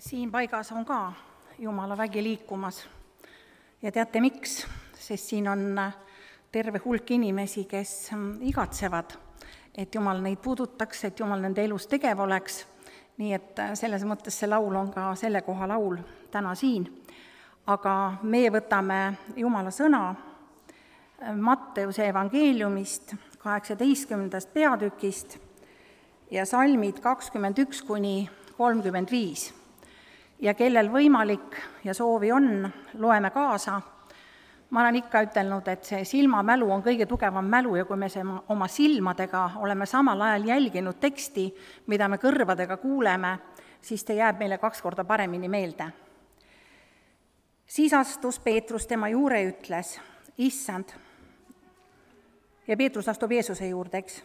Siin paigas on ka Jumala vägi liikumas ja teate miks? Sest siin on terve hulk inimesi, kes igatsevad, et Jumal neid puudutaks, et Jumal nende elus tegev oleks. Nii et selles mõttes see laul on ka selle koha laul täna siin. Aga meie võtame Jumala sõna Matteuse evangeeliumist 18. peatükist ja salmid 21–35. Ja kellel võimalik ja soovi on, loeme kaasa. Ma olen ikka ütelnud, et see silmamälu on kõige tugevam mälu ja kui me oma silmadega oleme samal ajal jälginud teksti, mida me kõrvadega kuuleme, siis ta jääb meile 2 korda paremini meelde. Siis astus Peetrus tema juurde ja ütles, Issand, ja Peetrus astub Jeesuse juurde, eks,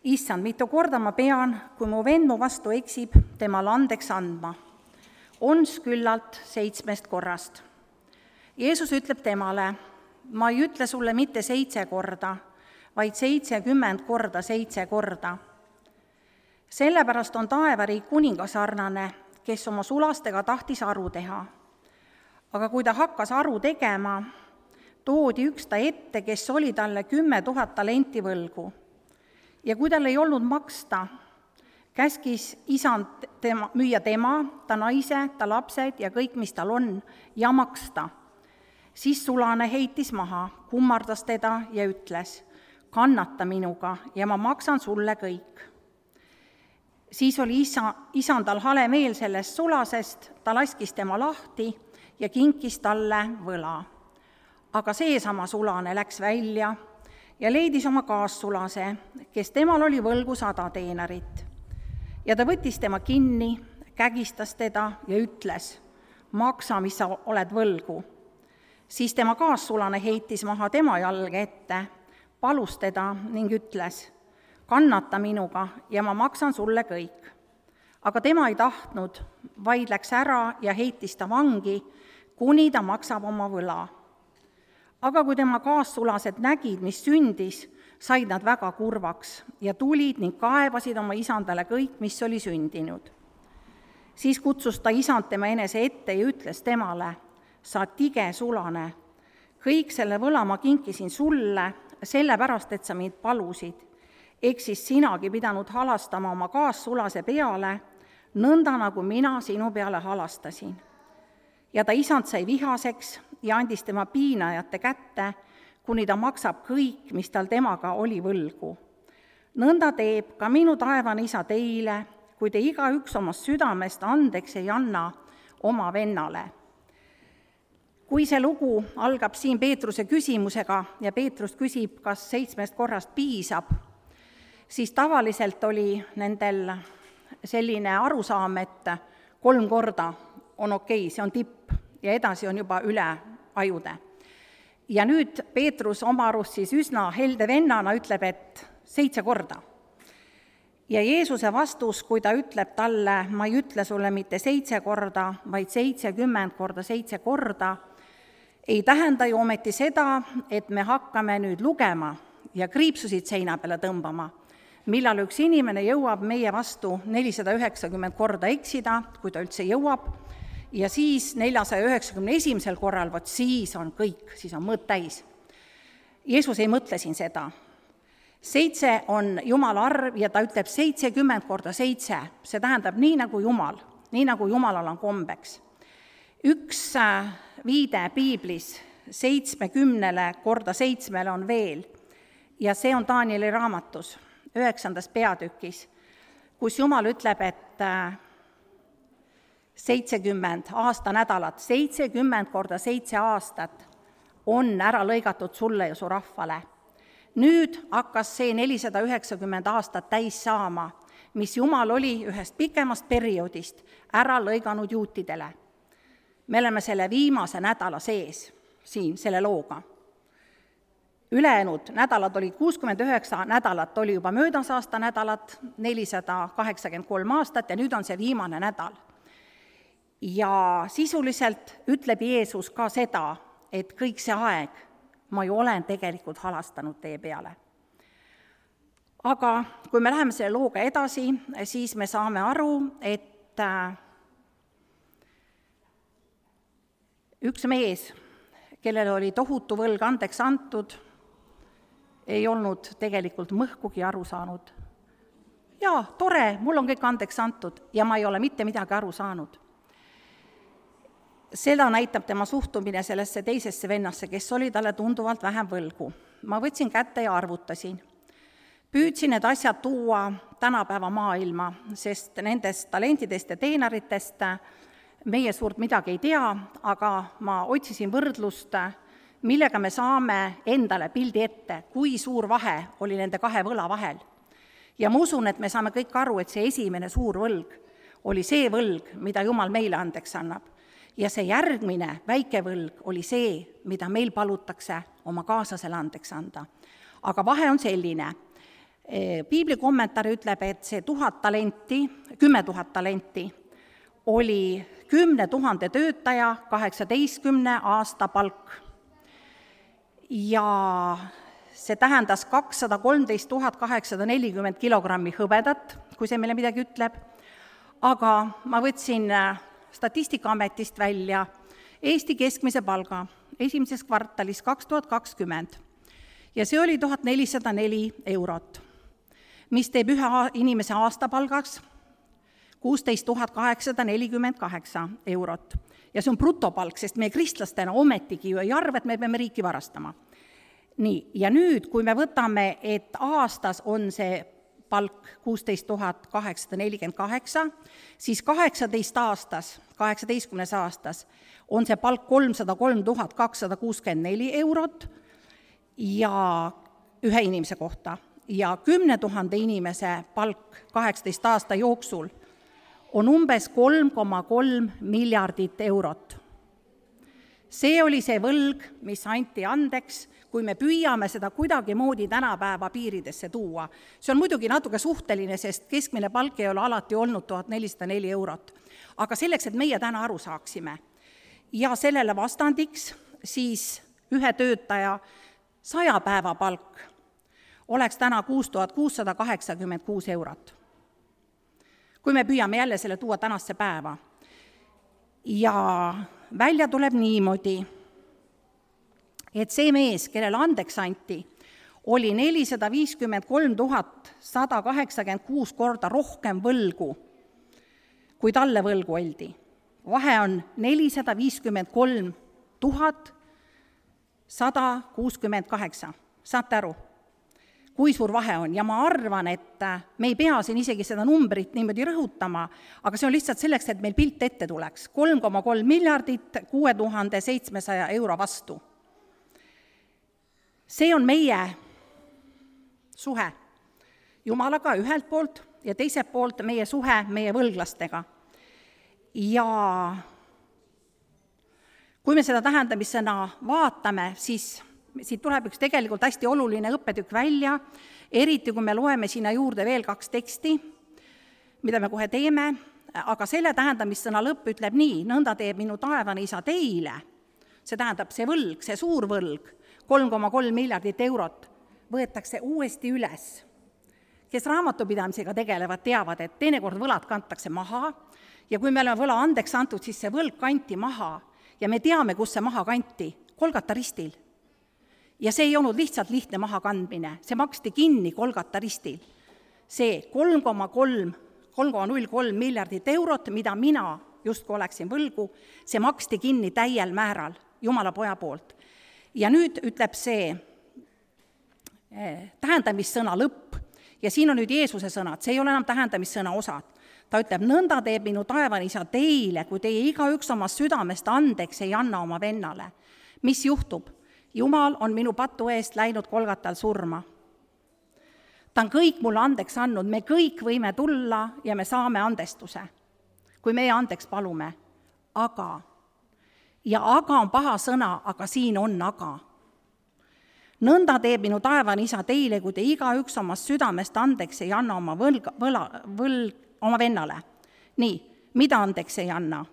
Issand, mitu korda ma pean, kui mu vend mu vastu eksib, temale andeks andma. Ons küllalt 7 korrast. Jeesus ütleb temale, ma ei ütle sulle mitte 7 korda, vaid 70 korda 7 korda. Sellepärast on taevariik kuningasarnane, kes oma sulastega tahtis aru teha. Aga kui ta hakkas aru tegema, toodi üks ta ette, kes oli talle 10 000 talenti võlgu. Ja kui tal ei olnud maksta, käskis isand müüa tema, ta naise, ta lapsed ja kõik, mis tal on, ja maksta. Siis sulane heitis maha, kummardas teda ja ütles, kannata minuga ja ma maksan sulle kõik. Siis oli isandal hale meel sellest sulasest, ta laskis tema lahti ja kinkis talle võla. Aga seesama sulane läks välja ja leidis oma kaassulase, kes temal oli võlgu 100 teenarit. Ja ta võttis tema kinni, kägistas teda ja ütles, maksa, mis sa oled võlgu. Siis tema kaassulane heitis maha tema jalge ette, palus teda ning ütles, kannata minuga ja ma maksan sulle kõik. Aga tema ei tahtnud, vaid läks ära ja heitis ta vangi, kuni ta maksab oma võla. Aga kui tema kaassulased nägid, mis sündis, said nad väga kurvaks ja tulid ning kaebasid oma isandale kõik, mis oli sündinud. Siis kutsus ta isand tema enese ette ja ütles temale, sa tige sulane, kõik selle võla ma kinkisin sulle, sellepärast, et sa mind palusid. Eks siis sinagi pidanud halastama oma kaassulase peale, nõnda nagu mina sinu peale halastasin. Ja ta isand sai vihaseks ja andis tema piinajate kätte, kuni ta maksab kõik, mis tal temaga oli võlgu. Nõnda teeb ka minu taevane isa teile, kui te igaüks omast südamest andeks ei anna oma vennale. Kui see lugu algab siin Peetruse küsimusega ja Peetrus küsib, kas 7 korrast piisab, siis tavaliselt oli nendel selline arusaam, et 3 korda on okei, see on tipp ja edasi on juba üle ajude. Ja nüüd Peetrus oma arust siis üsna helde vennana ütleb, et 7 korda. Ja Jeesuse vastus, kui ta ütleb talle, ma ei ütle sulle mitte 7 korda, vaid 70 korda 7 korda, ei tähenda ju ometi seda, et me hakkame nüüd lugema ja kriipsusid seina peale tõmbama, millal üks inimene jõuab meie vastu 490 korda eksida, kui ta üldse jõuab, ja siis 491. korral, vot siis on kõik, siis on mõõt täis. Jeesus ei mõtle siin seda. 7 on Jumala arv ja ta ütleb 70 korda 7, see tähendab nii nagu Jumalal on kombeks. Üks viide piiblis 70 korda 7 on veel ja see on Danieli raamatus 9. peatükis, kus Jumal ütleb, et 70 aastanädalat, 70 korda 7 aastat on ära lõigatud sulle ja su rahvale. Nüüd hakkas see 490 aastat täis saama, mis Jumal oli ühest pikemast perioodist ära lõiganud juutidele. Me oleme selle viimase nädala sees siin selle looga. Ülejäänud nädalad olid 69 nädalat, oli juba möödas aasta nädalat, 483 aastat ja nüüd on see viimane nädal. Ja sisuliselt ütleb Jeesus ka seda, et kõik see aeg ma ju olen tegelikult halastanud teie peale. Aga kui me läheme selle looga edasi, siis me saame aru, et üks mees, kellel oli tohutu võlg andeks antud, ei olnud tegelikult mõhkugi aru saanud. Jaa, tore, mul on kõik andeks antud ja ma ei ole mitte midagi aru saanud. Seda näitab tema suhtumine sellesse teisesse vennasse, kes oli talle tunduvalt vähem võlgu. Ma võtsin kätte ja arvutasin. Püüdsin need asjad tuua tänapäeva maailma, sest nendest talentidest ja teenaritest meie suurt midagi ei tea, aga ma otsisin võrdlust, millega me saame endale pildi ette, kui suur vahe oli nende kahe võla vahel. Ja ma usun, et me saame kõik aru, et see esimene suur võlg oli see võlg, mida Jumal meile andeks annab. Ja see järgmine väike võlg oli see, mida meil palutakse oma kaaslasele andeks anda. Aga vahe on selline. Piibli kommentaar ütleb, et see 10 000 talenti oli 10 000 töötaja 18 aasta palk. Ja see tähendas 213 840 kilogrammi hõbedat, kui see meile midagi ütleb, aga ma võtsin Statistikaametist välja Eesti keskmise palga esimeses kvartalis 2020 ja see oli 1404 eurot, mis teeb ühe inimese aastapalgaks 16 848 eurot. Ja see on brutopalk, sest meie kristlastena ometigi ju ei arva, et me peame riiki varastama. Nii, ja nüüd, kui me võtame, et aastas on see palk 16 848, siis 18 aastas on see palk 303 264 eurot ja ühe inimese kohta. Ja 10 000 inimese palk 18 aasta jooksul on umbes 3,3 miljardit eurot. See oli see võlg, mis anti andeks, kui me püüame seda kuidagi moodi tänapäeva piiridesse tuua. See on muidugi natuke suhteline, sest keskmine palk ei ole alati olnud 1404 eurot. Aga selleks, et meie täna aru saaksime ja sellele vastandiks, siis ühe töötaja 100 päeva palk oleks täna 6686 eurot. Kui me püüame jälle selle tuua tänasse päeva. Ja välja tuleb niimoodi, et see mees, kellele andeks anti, oli 453 186 korda rohkem võlgu, kui talle võlgu oldi. Vahe on 453 168. Saate aru, kui suur vahe on? Ja ma arvan, et me ei pea siin isegi seda numbrit niimoodi rõhutama, aga see on lihtsalt selleks, et meil pilt ette tuleks. 3,3 miljardit 6700 euro vastu. See on meie suhe Jumalaga ühelt poolt ja teiselt poolt meie suhe meie võlglastega. Ja kui me seda tähendamissõna vaatame, siis siit tuleb üks tegelikult hästi oluline õppetükk välja, eriti kui me loeme sinna juurde veel 2 teksti, mida me kohe teeme, aga selle tähendamissõna lõpp ütleb nii, nõnda teeb minu taevane isa teile. See tähendab see võlg, see suur võlg, 3,3 miljardit eurot võetakse uuesti üles. Kes raamatupidamisega tegelevad, teavad, et teinekord võlad kantakse maha ja kui me oleme võla andeks antud, siis see võlg kanti maha ja me teame, kus see maha kanti, Golgata ristil. Ja see ei olnud lihtsalt lihtne maha kandmine, see maksti kinni Golgata ristil. See 3,03 miljardit eurot, mida mina justkui oleksin võlgu, see maksti kinni täiel määral Jumala poja poolt. Ja nüüd ütleb see tähendamissõna lõpp ja siin on nüüd Jeesuse sõnad, see ei ole enam tähendamissõna osad. Ta ütleb, nõnda teeb minu taevane isa teile, kui teie igaüks oma südamest andeks ei anna oma vennale. Mis juhtub? Jumal on minu patu eest läinud Golgatal surma. Ta on kõik mulle andeks andnud, me kõik võime tulla ja me saame andestuse, kui meie andeks palume. Aga on paha sõna, aga siin on aga. Nõnda teeb minu taevane isa teile, kui te igaüks oma südamest andeks ei anna oma oma vennale. Nii, mida andeks ei anna?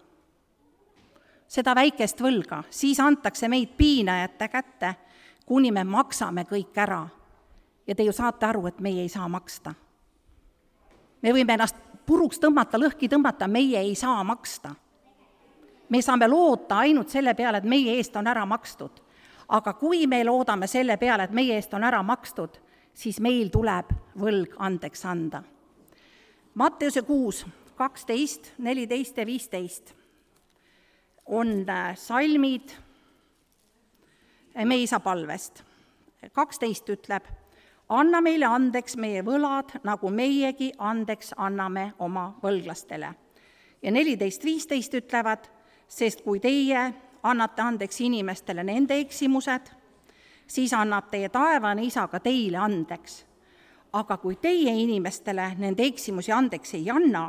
Seda väikest võlga, siis antakse meid piinajate kätte, kuni me maksame kõik ära. Ja te ju saate aru, et meie ei saa maksta. Me võime ennast puruks tõmmata, lõhki tõmmata, meie ei saa maksta. Me saame loota ainult selle peale, et meie eest on ära makstud. Aga kui me loodame selle peale, et meie eest on ära makstud, siis meil tuleb võlg andeks anda. Matteuse 6, 12, 14 ja 15 on salmid meie isa palvest. 12 ütleb, anna meile andeks meie võlad, nagu meiegi andeks anname oma võlglastele. Ja 14-15 ütlevad, sest kui teie annate andeks inimestele nende eksimused, siis annab teie taevane isa ka teile andeks. Aga kui teie inimestele nende eksimusi andeks ei anna,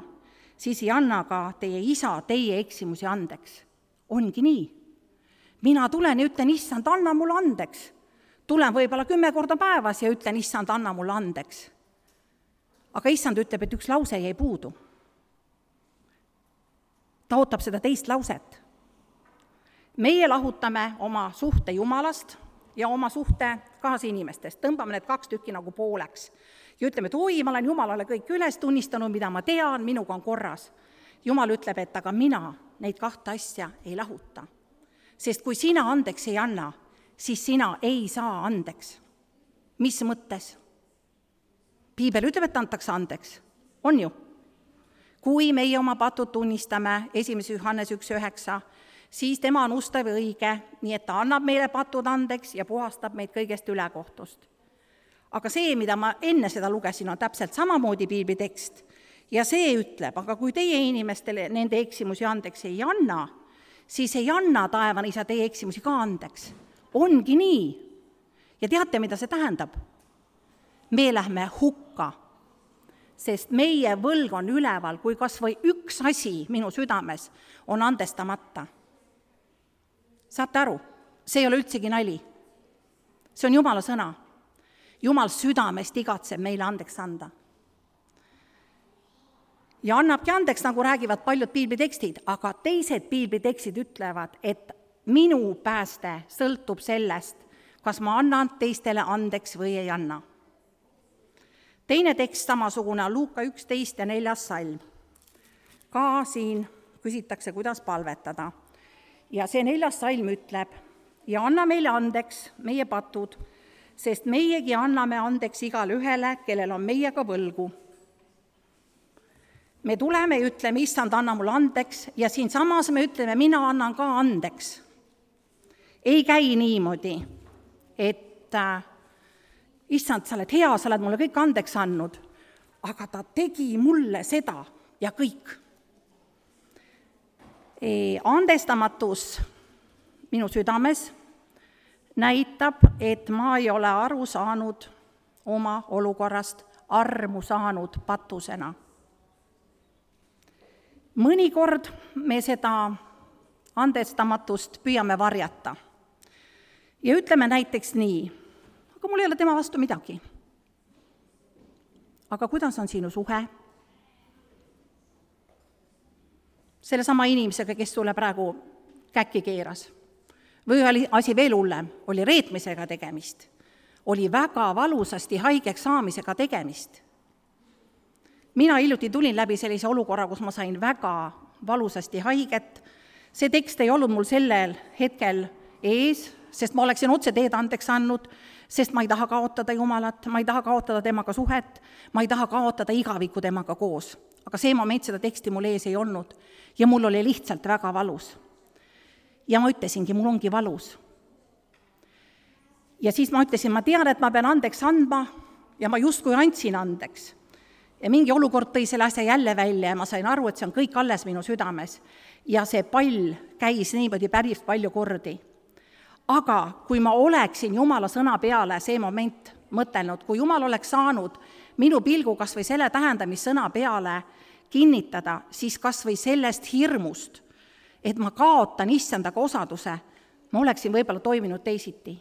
siis ei anna ka teie isa teie eksimusi andeks. Ongi nii. Mina tulen ja ütlen, issand, anna mulle andeks. Tulen võib-olla 10 korda päevas ja ütlen, issand, anna mulle andeks. Aga issand ütleb, et üks lause jäi puudu. Ta ootab seda teist lauset. Meie lahutame oma suhte Jumalast ja oma suhte kaasinimestest. Tõmbame need 2 tükki nagu pooleks. Ja ütleme, et oi, ma olen Jumalale kõik üles tunnistanud, mida ma tean, minuga on korras. Jumal ütleb, et aga mina neid 2 asja ei lahuta. Sest kui sina andeks ei anna, siis sina ei saa andeks. Mis mõttes? Piibel ütleb, et antakse andeks. On ju? Kui meie oma patud tunnistame 1. Johannes 1.9, siis tema on ustav ja õige, nii et ta annab meile patud andeks ja puhastab meid kõigest ülekohtust. Aga see, mida ma enne seda lugesin, on täpselt samamoodi piibli tekst. Ja see ütleb, aga kui teie inimestele nende eksimusi andeks ei anna, siis ei anna taevane isa teie eksimusi ka andeks. Ongi nii. Ja teate, mida see tähendab? Me lähme hukka, sest meie võlg on üleval, kui kas või üks asi minu südames on andestamata. Saate aru? See ei ole üldsegi nali. See on Jumala sõna. Jumal südamest igatseb meile andeks anda. Ja annabki andeks, nagu räägivad paljud piiblitekstid, aga teised piiblitekstid ütlevad, et minu pääste sõltub sellest, kas ma annan teistele andeks või ei anna. Teine tekst samasugune on Luuka 11 ja 4. salm. Ka siin küsitakse, kuidas palvetada. Ja see 4. salm ütleb, ja anna meile andeks meie patud, sest meiegi anname andeks igale ühele, kellel on meiega võlgu. Me tuleme ja ütleme, issand, anna mulle andeks, ja siin samas me ütleme, mina annan ka andeks. Ei käi niimoodi, et issand, sa oled hea, sa oled mulle kõik andeks andnud, aga ta tegi mulle seda ja kõik. Andestamatus minu südames näitab, et ma ei ole aru saanud oma olukorrast, armu saanud patusena. Mõnikord me seda andestamatust püüame varjata. Ja ütleme näiteks nii, aga mul ei ole tema vastu midagi. Aga kuidas on sinu suhe? Sellesama inimesega, kes sulle praegu käkki keeras. Või oli asi veel hullem, oli reetmisega tegemist. Oli väga valusasti haigeks saamisega tegemist. Mina hiljuti tulin läbi sellise olukorra, kus ma sain väga valusasti haiget. See tekst ei olnud mul sellel hetkel ees, sest ma oleksin otse teed andeks andnud, sest ma ei taha kaotada Jumalat, ma ei taha kaotada temaga suhet, ma ei taha kaotada igavikku temaga koos. Aga see moment seda teksti mul ees ei olnud ja mul oli lihtsalt väga valus. Ja ma ütlesingi, mul ongi valus. Ja siis ma ütlesin, ma tean, et ma pean andeks andma ja ma justkui andsin andeks. Ja mingi olukord tõi selle asja jälle välja ja ma sain aru, et see on kõik alles minu südames. Ja see pall käis niimoodi päris palju kordi. Aga kui ma oleksin Jumala sõna peale see moment mõtelnud, kui Jumal oleks saanud minu pilgu kas või selle tähendamissõna peale kinnitada, siis kas või sellest hirmust, et ma kaotan issandaga osaduse, ma oleksin võib-olla toiminud teisiti.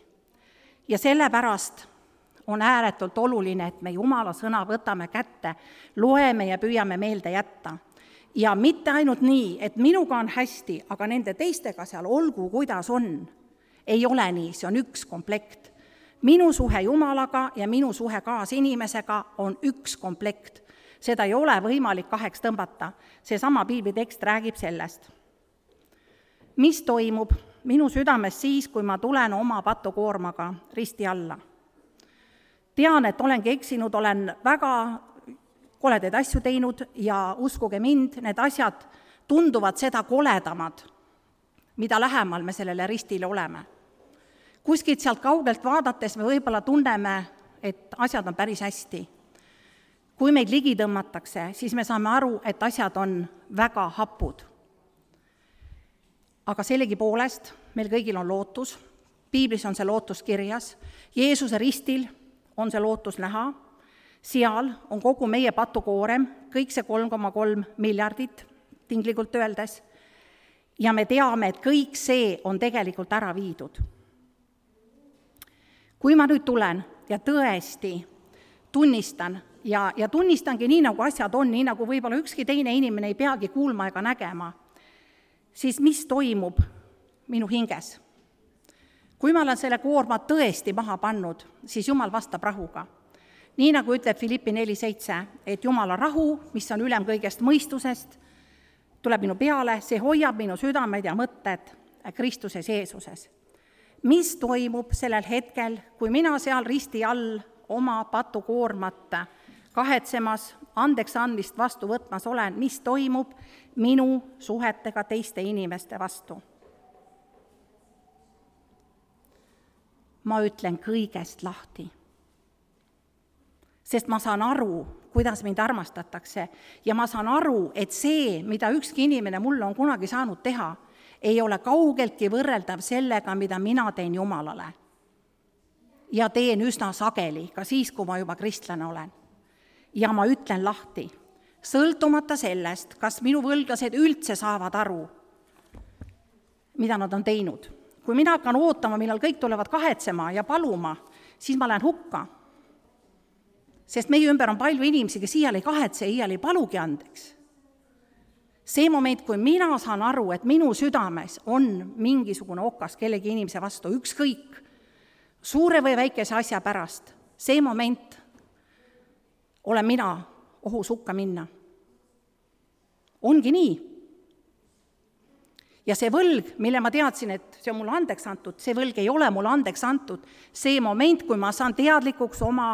Ja sellepärast on ääretult oluline, et me Jumala sõna võtame kätte, loeme ja püüame meelde jätta. Ja mitte ainult nii, et minuga on hästi, aga nende teistega seal olgu, kuidas on. Ei ole nii, see on üks komplekt. Minu suhe Jumalaga ja minu suhe kaasinimesega on üks komplekt. Seda ei ole võimalik kaheks tõmbata. Seesama piiblitekst räägib sellest. mis toimub minu südames siis, kui ma tulen oma patukoormaga risti alla. Tean, et olengi eksinud, olen väga koledaid asju teinud ja uskuge mind, need asjad tunduvad seda koledamad, mida lähemal me sellele ristile oleme. Kuskilt sealt kaugelt vaadates me võib-olla tunneme, et asjad on päris hästi. Kui meid ligi tõmmatakse, siis me saame aru, et asjad on väga hapud. Aga sellegipoolest meil kõigil on lootus, piiblis on see lootus kirjas, Jeesuse ristil on see lootus näha, seal on kogu meie patukoorem, kõik see 3,3 miljardit tinglikult öeldes, ja me teame, et kõik see on tegelikult ära viidud. Kui ma nüüd tulen ja tõesti tunnistan ja tunnistangi nii, nagu asjad on, nii nagu võib-olla ükski teine inimene ei peagi kuulma ega nägema, siis mis toimub minu hinges? Kui ma olen selle koorma tõesti maha pannud, siis Jumal vastab rahuga. Nii nagu ütleb Filippi 4:7, et Jumala rahu, mis on ülem kõigest mõistusest, tuleb minu peale, see hoiab minu südamed ja mõtted Kristuses Jeesuses. Mis toimub sellel hetkel, kui mina seal risti all oma patukoormat kahetsemas, andeks andmist vastu võtmas olen, mis toimub minu suhetega teiste inimeste vastu? Ma ütlen kõigest lahti. Sest ma saan aru, kuidas mind armastatakse ja ma saan aru, et see, mida ükski inimene mulle on kunagi saanud teha, ei ole kaugeltki võrreldav sellega, mida mina teen Jumalale. Ja teen üsna sageli, ka siis, kui ma juba kristlane olen. Ja ma ütlen lahti, sõltumata sellest, kas minu võlglased üldse saavad aru, mida nad on teinud. Kui mina hakkan ootama, millal kõik tulevad kahetsema ja paluma, siis ma lähen hukka. Sest meie ümber on palju inimesi, kes iial ei kahetse, iial ei palugi andeks. See moment, kui mina saan aru, et minu südames on mingisugune okas kellegi inimese vastu, ükskõik, suure või väikese asja pärast, see moment olen mina ohus hukka minna. Ongi nii. Ja see võlg, mille ma teadsin, et see on mulle andeks antud, see võlg ei ole mulle andeks antud. See moment, kui ma saan teadlikuks oma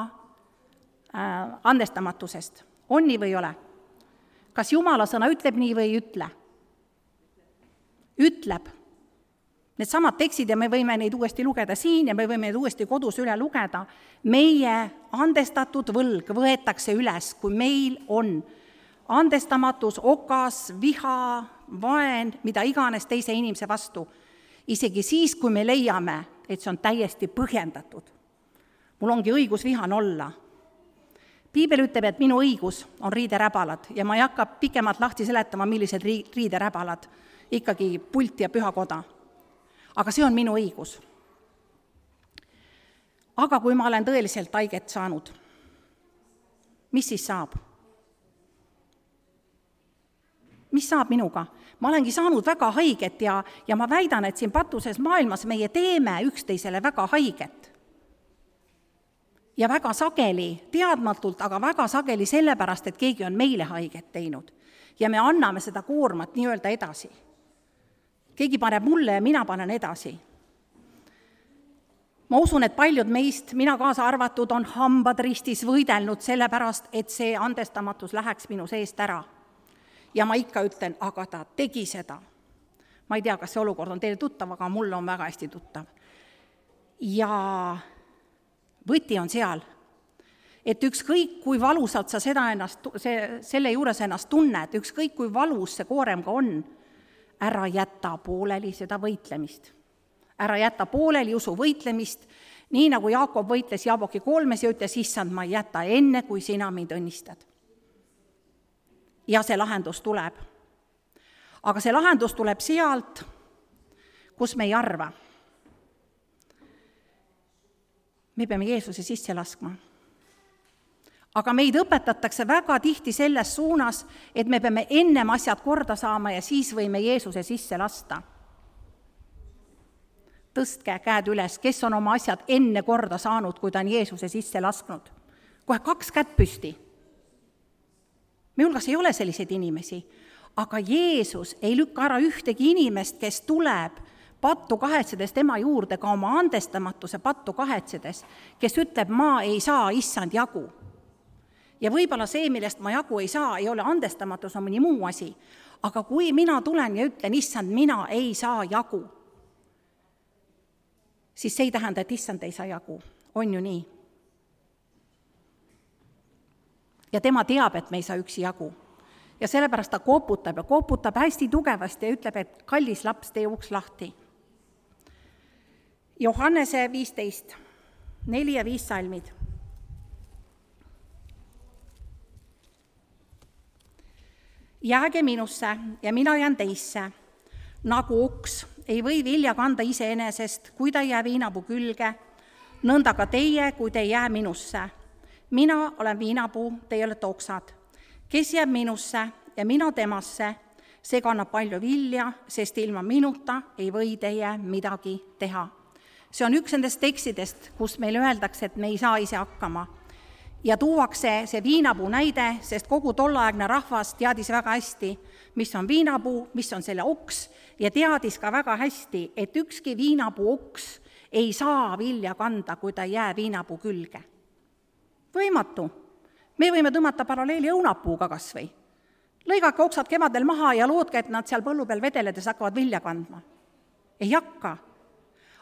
andestamatusest. On nii või ei ole? Kas Jumala sõna ütleb nii või ei ütle? Ütleb. Need samad tekstid ja me võime neid uuesti lugeda siin ja me võime neid uuesti kodus üle lugeda. Meie andestatud võlg võetakse üles, kui meil on andestamatus, okas, viha, vaen, mida iganes teise inimese vastu. Isegi siis, kui me leiame, et see on täiesti põhjendatud. Mul ongi õigus vihane olla. Piibel ütleb, et minu õigus on riideräbalad ja ma ei hakka pikemalt lahti seletama, millised riideräbalad, ikkagi pult ja pühakoda. Aga see on minu õigus. Aga kui ma olen tõeliselt haiget saanud, mis siis saab? Mis saab minuga? Ma olengi saanud väga haiget ja ma väidan, et siin patuses maailmas meie teeme üksteisele väga haiget. Ja väga sageli, teadmatult, aga väga sageli sellepärast, et keegi on meile haiget teinud. Ja me anname seda koormat nii-öelda edasi. Keegi paneb mulle ja mina panen edasi. Ma usun, et paljud meist, mina kaasa arvatud, on hambad ristis võidelnud sellepärast, et see andestamatus läheks minu seest ära. Ja ma ikka ütlen, aga ta tegi seda. Ma ei tea, kas see olukord on teile tuttav, aga mulle on väga hästi tuttav. Ja võti on seal, et ükskõik kui valusalt sa selle juures ennast tunned, ükskõik kui valus see koorem ka on, ära jäta pooleli seda võitlemist. Ära jäta pooleli usu võitlemist, nii nagu Jaakob võitles Jaaboki 3 ja ütles, issand, ma ei jäta enne, kui sina mind õnnistad. Ja see lahendus tuleb. Aga see lahendus tuleb sealt, kus me ei arva. Me peame Jeesuse sisse laskma. Aga meid õpetatakse väga tihti selles suunas, et me peame ennem asjad korda saama ja siis võime Jeesuse sisse lasta. Tõstke käed üles, kes on oma asjad enne korda saanud, kui ta on Jeesuse sisse lasknud. Kohe 2 kätt püsti. Me hulgas ei ole selliseid inimesi, Aga Jeesus ei lükka ära ühtegi inimest, kes tuleb pattu kahetsedes tema juurde, ka oma andestamatuse pattu kahetsedes, kes ütleb, ma ei saa issand jagu. Ja võib-olla see, millest ma jagu ei saa, ei ole andestamatus, on mõni muu asi. Aga kui mina tulen ja ütlen, issand, mina ei saa jagu, siis see ei tähenda, et issand ei saa jagu. On ju nii? Ja tema teab, et me ei saa üksi jagu. Ja sellepärast ta koputab hästi tugevasti ja ütleb, et kallis laps, tee uks lahti. Johannese 15, 4 ja 5 salmid. Jääge minusse ja mina jään teisse, nagu uks ei või vilja kanda iseenesest, kui ta ei jää viinapuu külge, nõnda ka teie, kui te ei jää minusse. Mina olen viinapuu, teie olete oksad. Kes jääb minusse ja mina temasse, see kannab palju vilja, sest ilma minuta ei või teie midagi teha. See on üks nendest tekstidest, kus meil öeldakse, et me ei saa ise hakkama. Ja tuuakse see viinapuu näide, sest kogu tolleaegne rahvas teadis väga hästi, mis on viinapuu, mis on selle oks, ja teadis ka väga hästi, et ükski viinapuu oks ei saa vilja kanda, kui ta ei jää viinapuu külge. Võimatu. Me võime tõmmata paralleeli õunapuuga kas või. Lõigake oksad kevadel maha ja loodke, et nad seal põllu peal vedeledes hakkavad vilja kandma. Ei hakka.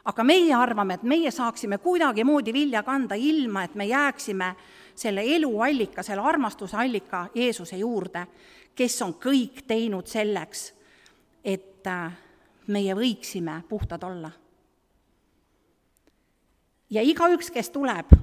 Aga meie arvame, et meie saaksime kuidagi moodi vilja kanda ilma, et me jääksime selle eluallika, selle armastuse allika Jeesuse juurde, kes on kõik teinud selleks, et meie võiksime puhtad olla. Ja igaüks, kes tuleb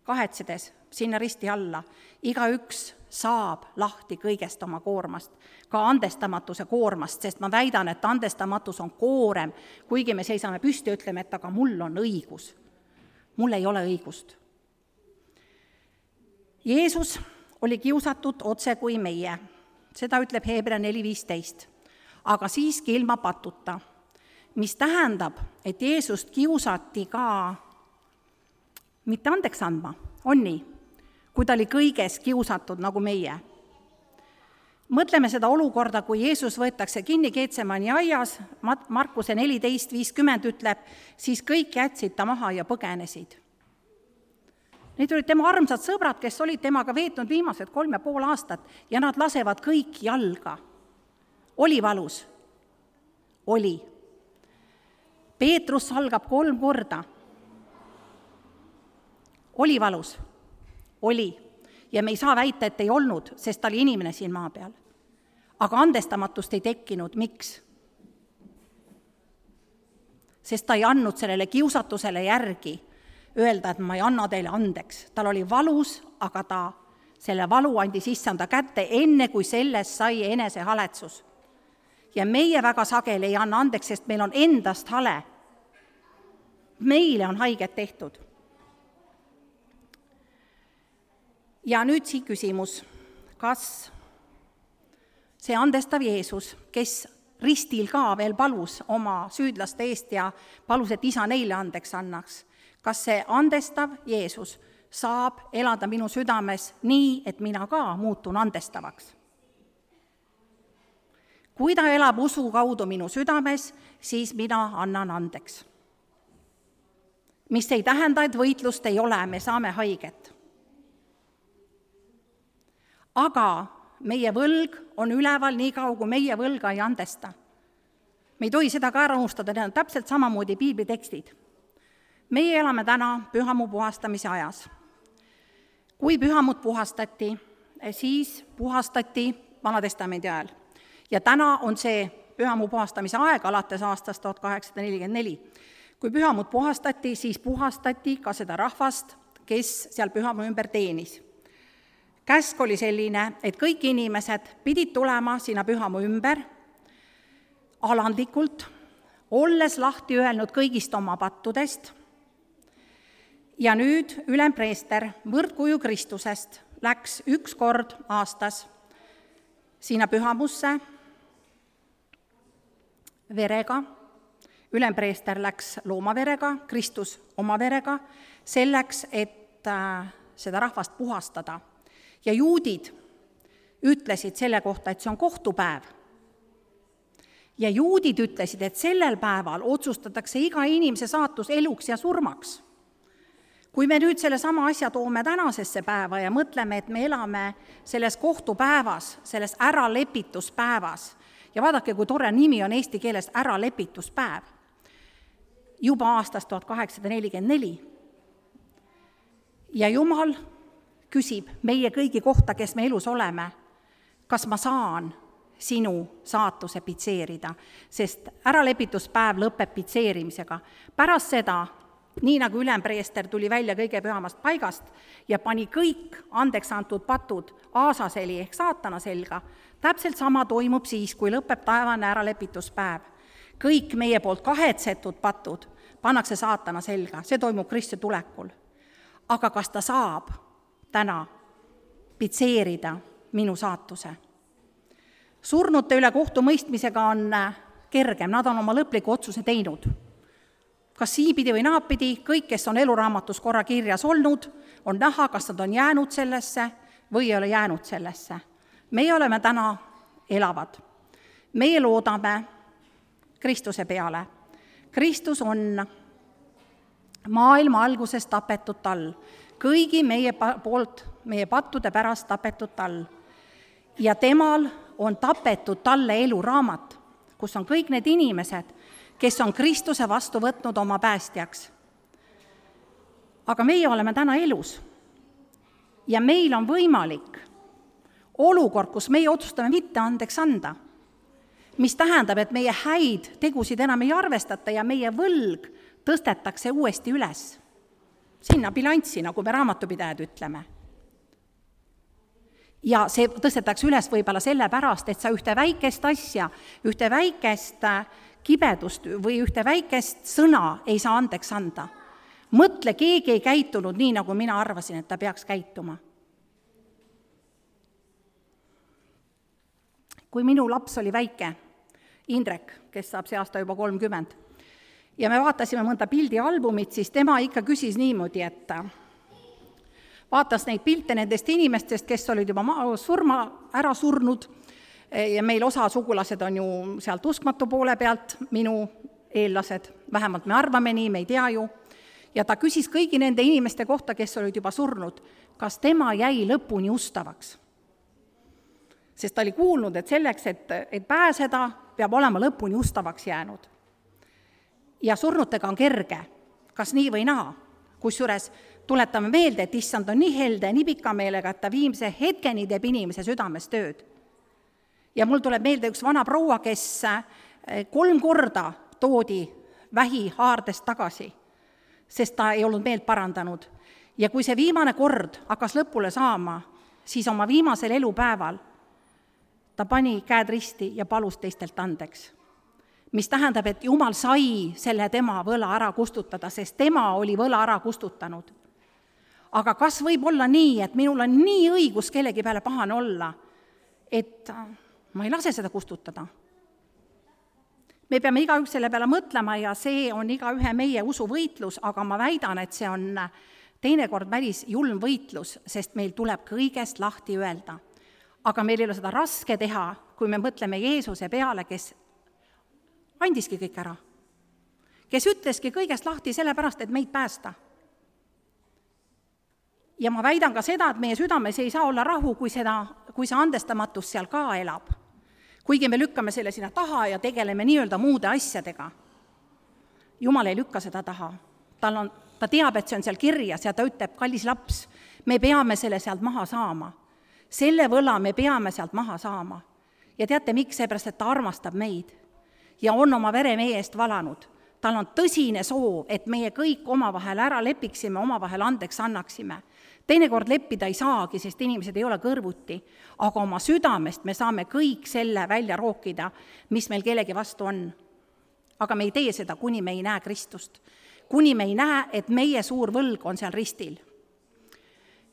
kahetsedes sinna risti alla, igaüks saab lahti kõigest oma koormast, ka andestamatuse koormast, sest ma väidan, et andestamatus on koorem, kuigi me seisame püsti ja ütleme, et aga mul on õigus. Mul ei ole õigust. Jeesus oli kiusatud otse kui meie, seda ütleb Hebra 4.15, aga siiski ilma patuta, mis tähendab, et Jeesust kiusati ka mitte andeks andma, on nii, kui ta oli kõiges kiusatud nagu meie. Mõtleme seda olukorda, kui Jeesus võetakse kinni Getsemani aias, Markuse 14.50 ütleb, siis kõik jätsid ta maha ja põgenesid. Need olid tema armsad sõbrad, kes olid temaga veetnud viimased 3,5 aastat ja nad lasevad kõik jalga. Oli valus? Oli. Peetrus salgab 3 korda. Oli valus? Oli. Ja me ei saa väita, et ei olnud, sest ta oli inimene siin maa peal. Aga andestamatust ei tekkinud. Miks? Sest ta ei andnud sellele kiusatusele järgi öelda, et ma ei anna teile andeks. Tal oli valus, aga ta selle valu andis issanda kätte enne, kui sellest sai enesehaletsus. Ja meie väga sageli ei anna andeks, sest meil on endast hale. Meile on haiget tehtud. Ja nüüd siia küsimus, kas see andestav Jeesus, kes ristil ka veel palus oma süüdlaste eest ja palus, et isa neile andeks annaks, kas see andestav Jeesus saab elada minu südames nii, et mina ka muutun andestavaks? Kui ta elab usu kaudu minu südames, siis mina annan andeks. Mis ei tähenda, et võitlust ei ole, me saame haiget. Aga meie võlg on üleval nii kaua, kui meie võlga ei andesta. Me ei tohi seda ka ära unustada, need on täpselt samamoodi piiblitekstid. Meie elame täna pühamuu puhastamise ajas. Kui pühamut puhastati, siis puhastati Vanatestamendi ajal. Ja täna on see pühamuu puhastamise aeg alates aastast 1844. Kui pühamut puhastati, siis puhastati ka seda rahvast, kes seal pühamuu ümber teenis. Käsk oli selline, et kõik inimesed pidid tulema sinna pühamuu ümber alandlikult, olles lahti öelnud kõigist oma pattudest. Ja nüüd ülempreester võrdkuju Kristusest läks 1 kord aastas sinna pühamusse verega. Ülempreester läks loomaverega, Kristus oma verega, selleks, et seda rahvast puhastada. Ja juudid, ütlesid selle kohta, et see on kohtupäev. Ja juudid ütlesid, et sellel päeval otsustatakse iga inimese saatus eluks ja surmaks. Kui me nüüd selle sama asja toome tänasesse päeva ja mõtleme, et me elame selles kohtupäevas, selles äralepituspäevas, ja vaadake, kui tore nimi on eesti keeles äralepituspäev, juba aastast 1844. Ja Jumal küsib meie kõigi kohta, kes me elus oleme, kas ma saan sinu saatuse pitseerida, sest äralepituspäev lõpeb pitseerimisega. Pärast seda, nii nagu ülempreester tuli välja kõige pühamast paigast ja pani kõik andeks antud patud aasaseli ehk saatana selga, täpselt sama toimub siis, kui lõpeb taevane äralepituspäev. Kõik meie poolt kahetsetud patud pannakse saatana selga, see toimub Kristuse tulekul. Aga kas ta saab täna pitseerida minu saatuse? Surnute üle kohtumõistmisega on kergem, nad on oma lõpliku otsuse teinud. Kas siipidi või naapidi, kõik, kes on eluraamatus korra kirjas olnud, on näha, kas nad on jäänud sellesse või ei ole jäänud sellesse. Meie oleme täna elavad. Meie loodame Kristuse peale. Kristus on maailma alguses tapetud tal, kõigi meie poolt, meie pattude pärast tapetud tal. Ja temal on tapetud talle eluraamat, kus on kõik need inimesed, kes on Kristuse vastu võtnud oma päästjaks. Aga meie oleme täna elus ja meil on võimalik olukord, kus meie otsustame mitte andeks anda, mis tähendab, et meie häid tegusid enam ei arvestata ja meie võlg tõstetakse uuesti üles. Sinna bilanssi, nagu me raamatupidajad ütleme. Ja see tõstetakse üles võib-olla sellepärast, et sa ühte väikest asja, ühte väikest kibedust või ühte väikest sõna ei saa andeks anda. Mõtle, keegi ei käitunud nii, nagu mina arvasin, et ta peaks käituma. Kui minu laps oli väike, Indrek, kes saab see aasta juba 30, ja me vaatasime mõnda pildialbumit, siis tema ikka küsis niimoodi, et vaatas neid pilte nendest inimestest, kes olid juba ära surnud, ja meil osa sugulased on ju sealt uskmatu poole pealt, minu eellased, vähemalt me arvame nii, me ei tea ju, ja ta küsis kõigi nende inimeste kohta, kes olid juba surnud, kas tema jäi lõpuni ustavaks. Sest ta oli kuulnud, et selleks, et pääseda, peab olema lõpuni ustavaks jäänud. Ja surnutega on kerge, kas nii või naa, kusjuures tuletame meelde, et issand on nii helde, nii pika meelega, et ta viimse hetkeni teeb inimese südames tööd. Ja mul tuleb meelde üks vana proua, kes 3 korda toodi vähi haardest tagasi, sest ta ei olnud meelt parandanud. Ja kui see viimane kord hakkas lõpule saama, siis oma viimasel elupäeval ta pani käed risti ja palus teistelt andeks. Mis tähendab, et Jumal sai selle tema võla ära kustutada, sest tema oli võla ära kustutanud. Aga kas võib olla nii, et minul on nii õigus kellegi peale pahane olla, et ma ei lase seda kustutada? Me peame igaüks selle peale mõtlema ja see on igaühe meie usuvõitlus, aga ma väidan, et see on teinekord päris julm võitlus, sest meil tuleb kõigest lahti öelda. Aga meil ei ole seda raske teha, kui me mõtleme Jeesuse peale, kes andiski kõik ära. Kes ütleski kõigest lahti sellepärast, et meid päästa. Ja ma väidan ka seda, et meie südames ei saa olla rahu, kui see andestamatus seal ka elab. Kuigi me lükkame selle sinna taha ja tegeleme nii-öelda muude asjadega. Jumal ei lükka seda taha. Ta teab, et see on seal kirjas ja ta ütleb, kallis laps, me peame selle sealt maha saama. Selle võla me peame sealt maha saama. Ja teate, miks? Seepärast, et ta armastab meid ja on oma vere meie eest valanud. Tal on tõsine soov, et meie kõik omavahel ära lepiksime, omavahel andeks annaksime. Teinekord leppida ei saagi, sest inimesed ei ole kõrvuti, aga oma südamest me saame kõik selle välja rookida, mis meil kellegi vastu on. Aga me ei tee seda, kuni me ei näe Kristust. Kuni me ei näe, et meie suur võlg on seal ristil.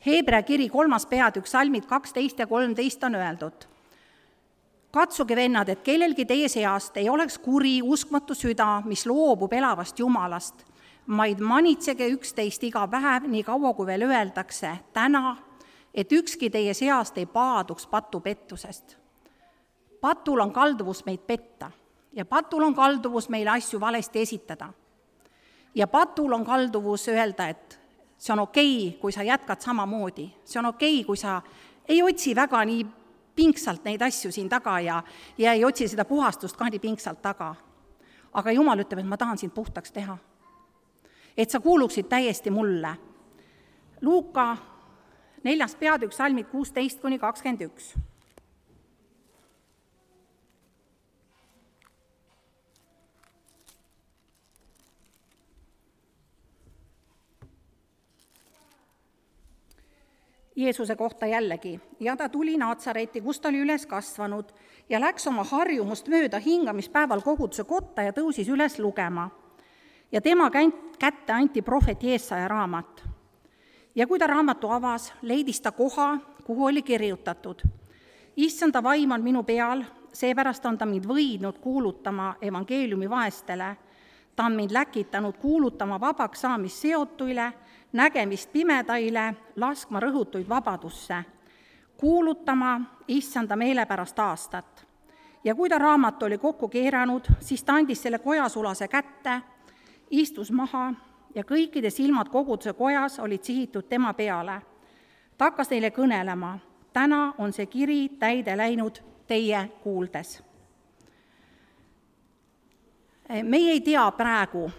Heebrea kiri 3. peatükk, salmid 12 ja 13 on öeldud. Katsuge, vennad, et kellelgi teie seast ei oleks kuri, uskmatu süda, mis loobub elavast Jumalast, vaid manitsege üksteist iga päev, nii kaua kui veel öeldakse täna et ükski teie seast ei paaduks patupettusest. Patul on kalduvus meid petta ja patul on kalduvus meile asju valesti esitada. Ja patul on kalduvus öelda, et see on okei, kui sa jätkad samamoodi, see on okei, kui sa ei otsi väga nii pingsalt neid asju siin taga ja ei otsi seda puhastust ka nii pingsalt taga. Aga Jumal ütleb, et ma tahan sind puhtaks teha. Et sa kuuluksid täiesti mulle. Luuka 4. peatükk, salmid 16-21. Jeesuse kohta jällegi. Ja ta tuli Naatsareti, kus ta oli üles kasvanud ja läks oma harjumust mööda hingamispäeval koguduse kotta ja tõusis üles lugema. Ja tema kätte anti prohvet Jeesaja raamat. Ja kui ta raamatu avas, leidis ta koha, kuhu oli kirjutatud. Issanda vaim on minu peal, seepärast on ta mind võidnud kuulutama evangeeliumi vaestele. Ta on mind läkitanud kuulutama vabaks saamist seotuile, nägemist pimedaile, laskma rõhutuid vabadusse, kuulutama issanda meelepärast aastat. Ja kui ta raamat oli kokku keeranud, siis ta andis selle kojasulase kätte, istus maha ja kõikide silmad koguduse kojas olid sihitud tema peale. Ta hakkas neile kõnelema, täna on see kiri täide läinud teie kuuldes. Meie ei tea praegu,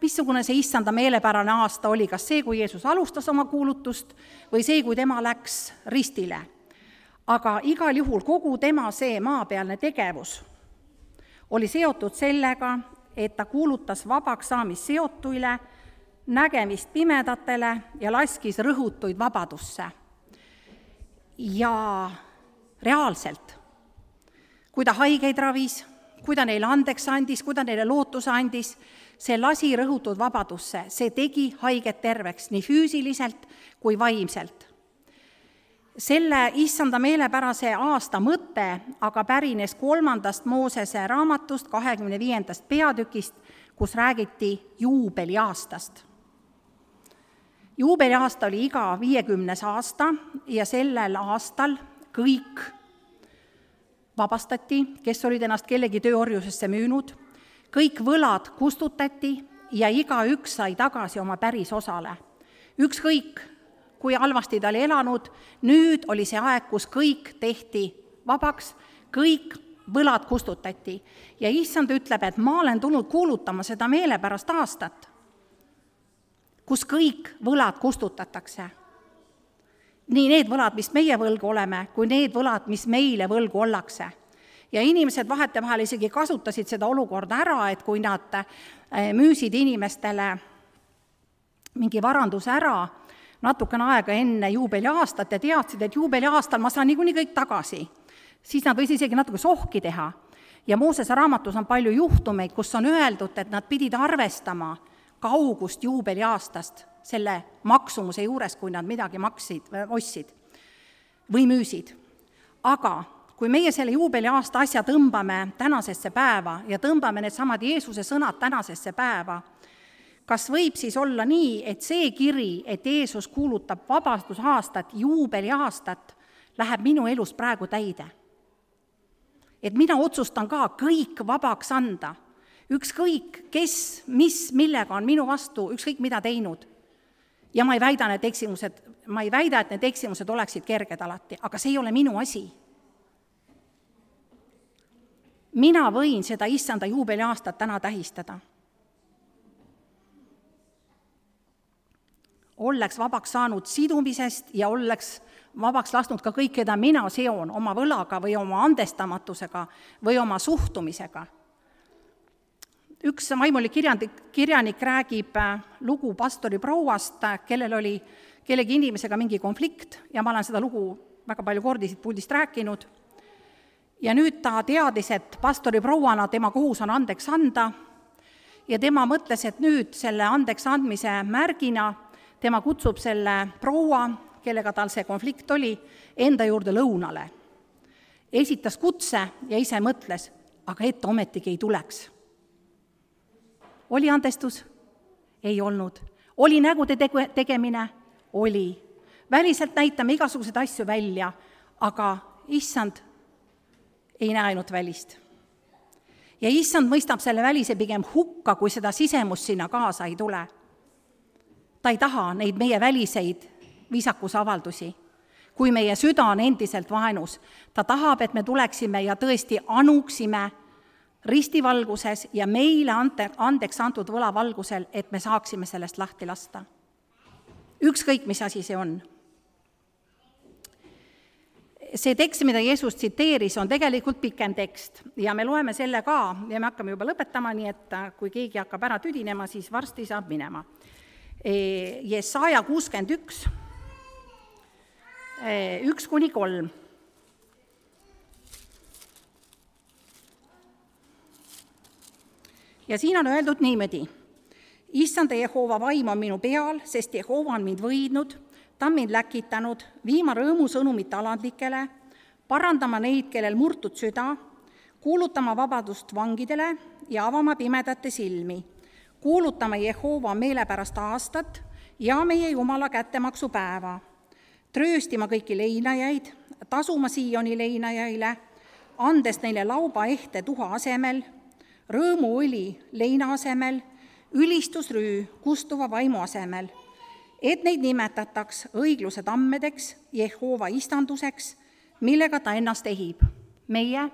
missugune see issanda meelepärane aasta oli, kas see, kui Jeesus alustas oma kuulutust või see, kui tema läks ristile. Aga igal juhul kogu tema see maapealne tegevus oli seotud sellega, et ta kuulutas vabaks saamist seotuile, nägemist pimedatele ja laskis rõhutuid vabadusse. Ja reaalselt, kui ta haigeid ravis, kui ta neile andeks andis, kui ta neile lootuse andis, see lasi rõhutud vabadusse, see tegi haiget terveks nii füüsiliselt kui vaimselt. Selle issanda meelepärase aasta mõte aga pärines 3. Moosese raamatust 25. peatükist, kus räägiti juubeliaastast. Juubeliaasta oli iga 50. aasta ja sellel aastal kõik vabastati, kes olid ennast kellegi tööorjusesse müünud, kõik võlad kustutati ja igaüks sai tagasi oma päris osale. Ükskõik, kui halvasti ta oli elanud, nüüd oli see aeg, kus kõik tehti vabaks, kõik võlad kustutati. Ja issand ütleb, et ma olen tulnud kuulutama seda meelepärast aastat, kus kõik võlad kustutatakse. Nii need võlad, mis meie võlgu oleme, kui need võlad, mis meile võlgu ollakse. Ja inimesed vahetevahel isegi kasutasid seda olukorda ära, et kui nad müüsid inimestele mingi varanduse ära natukene aega enne juubeliaastat ja teadsid, et juubeliaastal ma saan niikuinii kõik tagasi, siis nad võisid isegi natuke sohki teha. Ja Moosese raamatus on palju juhtumeid, kus on öeldud, et nad pidid arvestama kaugust juubeliaastast selle maksumuse juures, kui nad midagi ostsid või müüsid. Aga kui meie selle juubeliaasta asja tõmbame tänasesse päeva ja tõmbame need samad Jeesuse sõnad tänasesse päeva, kas võib siis olla nii, et see kiri, et Jeesus kuulutab vabastusaastat, juubeliaastat, läheb minu elus praegu täide? Et mina otsustan ka kõik vabaks anda, ükskõik kes, millega on minu vastu, ükskõik mida teinud. Ja ma ei väida, et need eksimused oleksid kerged alati, aga see ei ole minu asi. Mina võin seda issanda juubeliaastat täna tähistada. Oleks vabaks saanud sidumisest ja oleks vabaks lasknud ka kõik, keda mina seon oma võlaga või oma andestamatusega või oma suhtumisega. Üks vaimulik kirjanik räägib lugu pastori prouast, kellel oli kellegi inimesega mingi konflikt ja ma olen seda lugu väga palju kordi siit puldist rääkinud. Ja nüüd ta teadis, et pastori prouana tema kohus on andeks anda ja tema mõtles, et nüüd selle andeks andmise märgina tema kutsub selle proua, kellega tal see konflikt oli, enda juurde lõunale. Esitas kutse ja ise mõtles, aga et ometigi ei tuleks. Oli andestus? Ei olnud. Oli nägude tegemine? Oli. Väliselt näitame igasuguseid asju välja, aga issand ei näe ainult välist. Ja issand mõistab selle välise pigem hukka, kui seda sisemust sinna kaasa ei tule. Ta ei taha neid meie väliseid viisakusavaldusi, kui meie süda on endiselt vaenus. Ta tahab, et me tuleksime ja tõesti anuksime ristivalguses ja meile andeks antud võlavalgusel, et me saaksime sellest lahti lasta. Ükskõik, mis asi see on. See tekst, mida Jeesus tsiteeris, on tegelikult pikem tekst ja me loeme selle ka ja me hakkame juba lõpetama, nii et kui keegi hakkab ära tüdinema, siis varsti saab minema. Jesaja 61, 1-3. Ja siin on öeldud niimoodi. Issanda Jehova vaim on minu peal, sest Jehova on mind võidnud, ta on mind läkitanud, viima rõõmusõnumit alandlikele, parandama neid, kellel murtud süda, kuulutama vabadust vangidele ja avama pimedate silmi, kuulutama Jehova meelepärast aastat ja meie Jumala kättemaksupäeva, trööstima kõiki leinajaid, tasuma Sioni leinajaile, andes neile lauba ehte tuha asemel, rõõmuõli leina asemel, ülistusrüü kustuva vaimu asemel, et neid nimetataks õigluse tammedeks, Jehova istanduseks, millega ta ennast ehib. Meie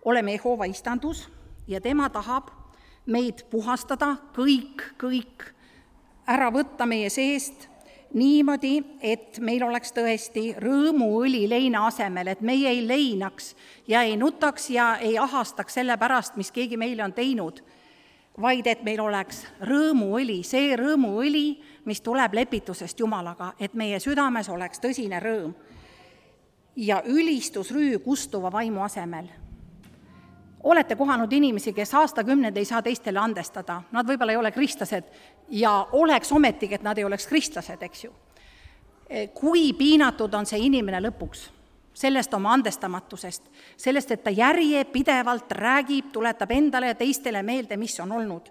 oleme Jehova istandus ja tema tahab meid puhastada, kõik ära võtta meie seest niimoodi, et meil oleks tõesti rõõmuõli leina asemel, et meie ei leinaks ja ei nutaks ja ei ahastaks selle pärast, mis keegi meile on teinud, vaid et meil oleks rõõmuõli, see rõõmuõli, mis tuleb lepitusest Jumalaga, et meie südames oleks tõsine rõõm ja ülistusrüü kustuva vaimu asemel. Olete kohanud inimesi, kes aastakümned ei saa teistele andestada, nad võib-olla ei ole kristlased ja oleks ometigi, et nad ei oleks kristlased, eks ju. Kui piinatud on see inimene lõpuks sellest oma andestamatusest, sellest, et ta järjepidevalt räägib, tuletab endale ja teistele meelde, mis on olnud.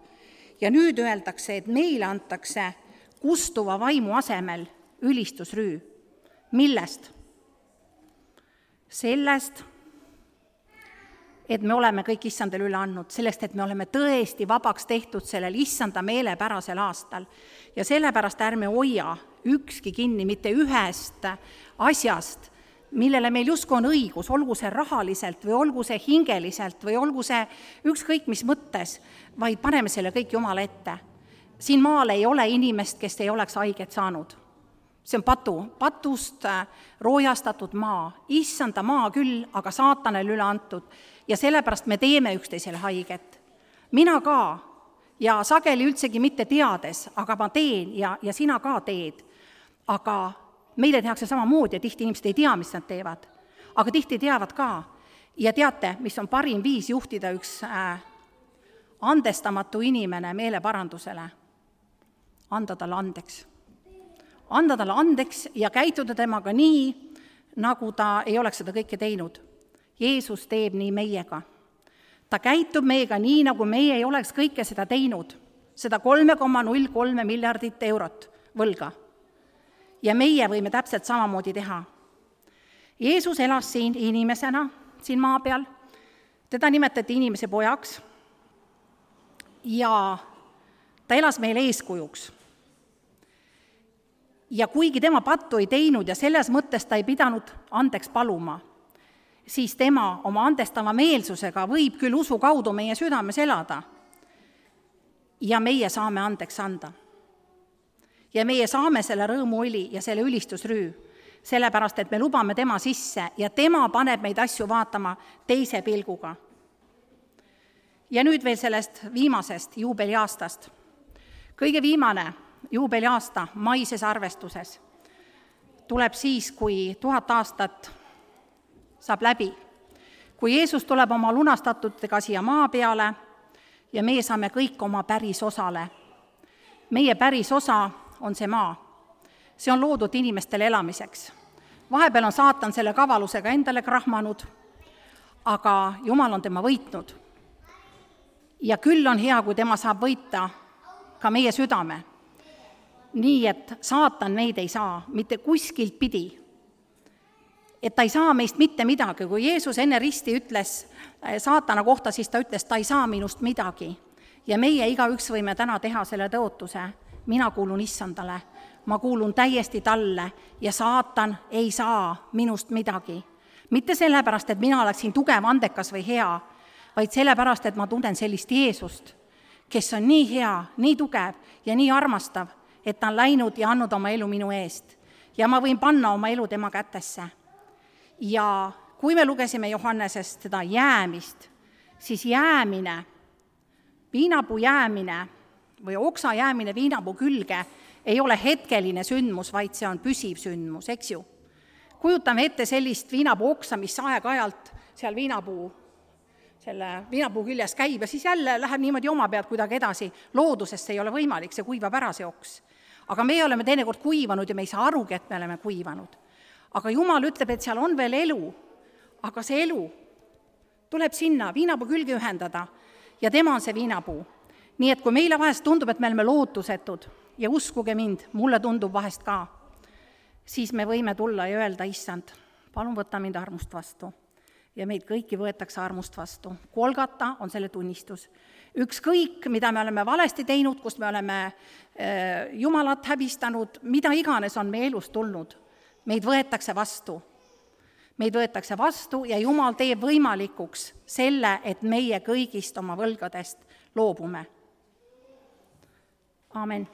Ja nüüd öeldakse, et meile antakse kustuva vaimu asemel ülistusrüü. Millest? Sellest, et me oleme kõik issandale üle andnud, sellest, et me oleme tõesti vabaks tehtud sellel issanda meelepärasel aastal. Ja sellepärast ärme hoia ükski kinni mitte ühest asjast, millele meil justkui on õigus, olgu see rahaliselt või olgu see hingeliselt või olgu see ükskõik mis mõttes, vaid paneme selle kõik Jumala ette. Siin maal ei ole inimest, kes ei oleks haiget saanud. See on patust roojastatud maa, issanda maa küll, aga saatanale üle antud ja sellepärast me teeme üksteisele haiget. Mina ka ja sageli üldsegi mitte teades, aga ma teen ja sina ka teed, aga meile tehakse samamoodi ja tihti inimesed ei tea, mis nad teevad, aga tihti teavad ka. Ja teate, mis on parim viis juhtida üks andestamatu inimene meeleparandusele? Anda talle andeks. Anda talle andeks ja käituda temaga nii, nagu ta ei oleks seda kõike teinud. Jeesus teeb nii meiega. Ta käitub meiega nii, nagu meie ei oleks kõike seda teinud, seda 3,03 miljardit eurot võlga. Ja meie võime täpselt samamoodi teha. Jeesus elas siin inimesena, siin maa peal, teda nimetati inimese pojaks ja ta elas meile eeskujuks. Ja kuigi tema pattu ei teinud ja selles mõttes ta ei pidanud andeks paluma, siis tema oma andestava meelsusega võib küll usu kaudu meie südames elada ja meie saame andeks anda. Ja meie saame selle rõõmuõli ja selle ülistusrüü, sellepärast, et me lubame tema sisse ja tema paneb meid asju vaatama teise pilguga. Ja nüüd veel sellest viimasest juubeliaastast. Kõige viimane juubeliaasta maises arvestuses tuleb siis, kui 1000 aastat saab läbi. Kui Jeesus tuleb oma lunastatutega siia maa peale ja meie saame kõik oma päris osale. Meie päris osa on see maa. See on loodud inimestele elamiseks. Vahepeal on saatan selle kavalusega endale krahmanud, aga Jumal on tema võitnud. Ja küll on hea, kui tema saab võita ka meie südame. nii, et saatan meid ei saa mitte kuskilt pidi. Et ta ei saa meist mitte midagi. Kui Jeesus enne risti ütles saatana kohta, siis ta ütles, ta ei saa minust midagi. Ja meie igaüks võime täna teha selle tõotuse. Mina kuulun Issandale, ma kuulun täiesti talle ja saatan ei saa minust midagi. Mitte sellepärast, et mina oleksin tugev, andekas või hea, vaid sellepärast, et ma tunnen sellist Jeesust, kes on nii hea, nii tugev ja nii armastav, et ta on läinud ja andnud oma elu minu eest. Ja ma võin panna oma elu tema kätesse. Ja kui me lugesime Johannesest seda jäämist, siis jäämine, viinapuu jäämine või oksa jäämine viinapuu külge ei ole hetkeline sündmus, vaid see on püsiv sündmus, eks ju. Kujutame ette sellist viinapuu oksa, mis aeg-ajalt seal viinapuu küljes käib ja siis jälle läheb niimoodi oma pealt kuidagi edasi. Loodusesse ei ole võimalik, see kuivab ära see oks. Aga me oleme teinekord kuivanud ja me ei saa arugi, et me oleme kuivanud. Aga Jumal ütleb, et seal on veel elu, aga see elu tuleb sinna viinapuu külge ühendada ja tema on see viinapuu. Nii et kui meile vahest tundub, et me oleme lootusetud ja uskuge mind, mulle tundub vahest ka, siis me võime tulla ja öelda, issand, palun võta mind armust vastu. Ja meid kõiki võetakse armust vastu. Golgata on selle tunnistus. Ükskõik, mida me oleme valesti teinud, kust me oleme Jumalat häbistanud, mida iganes on meie elus tulnud, meid võetakse vastu. Meid võetakse vastu ja Jumal teeb võimalikuks selle, et meie kõigist oma võlgadest loobume. Aamen.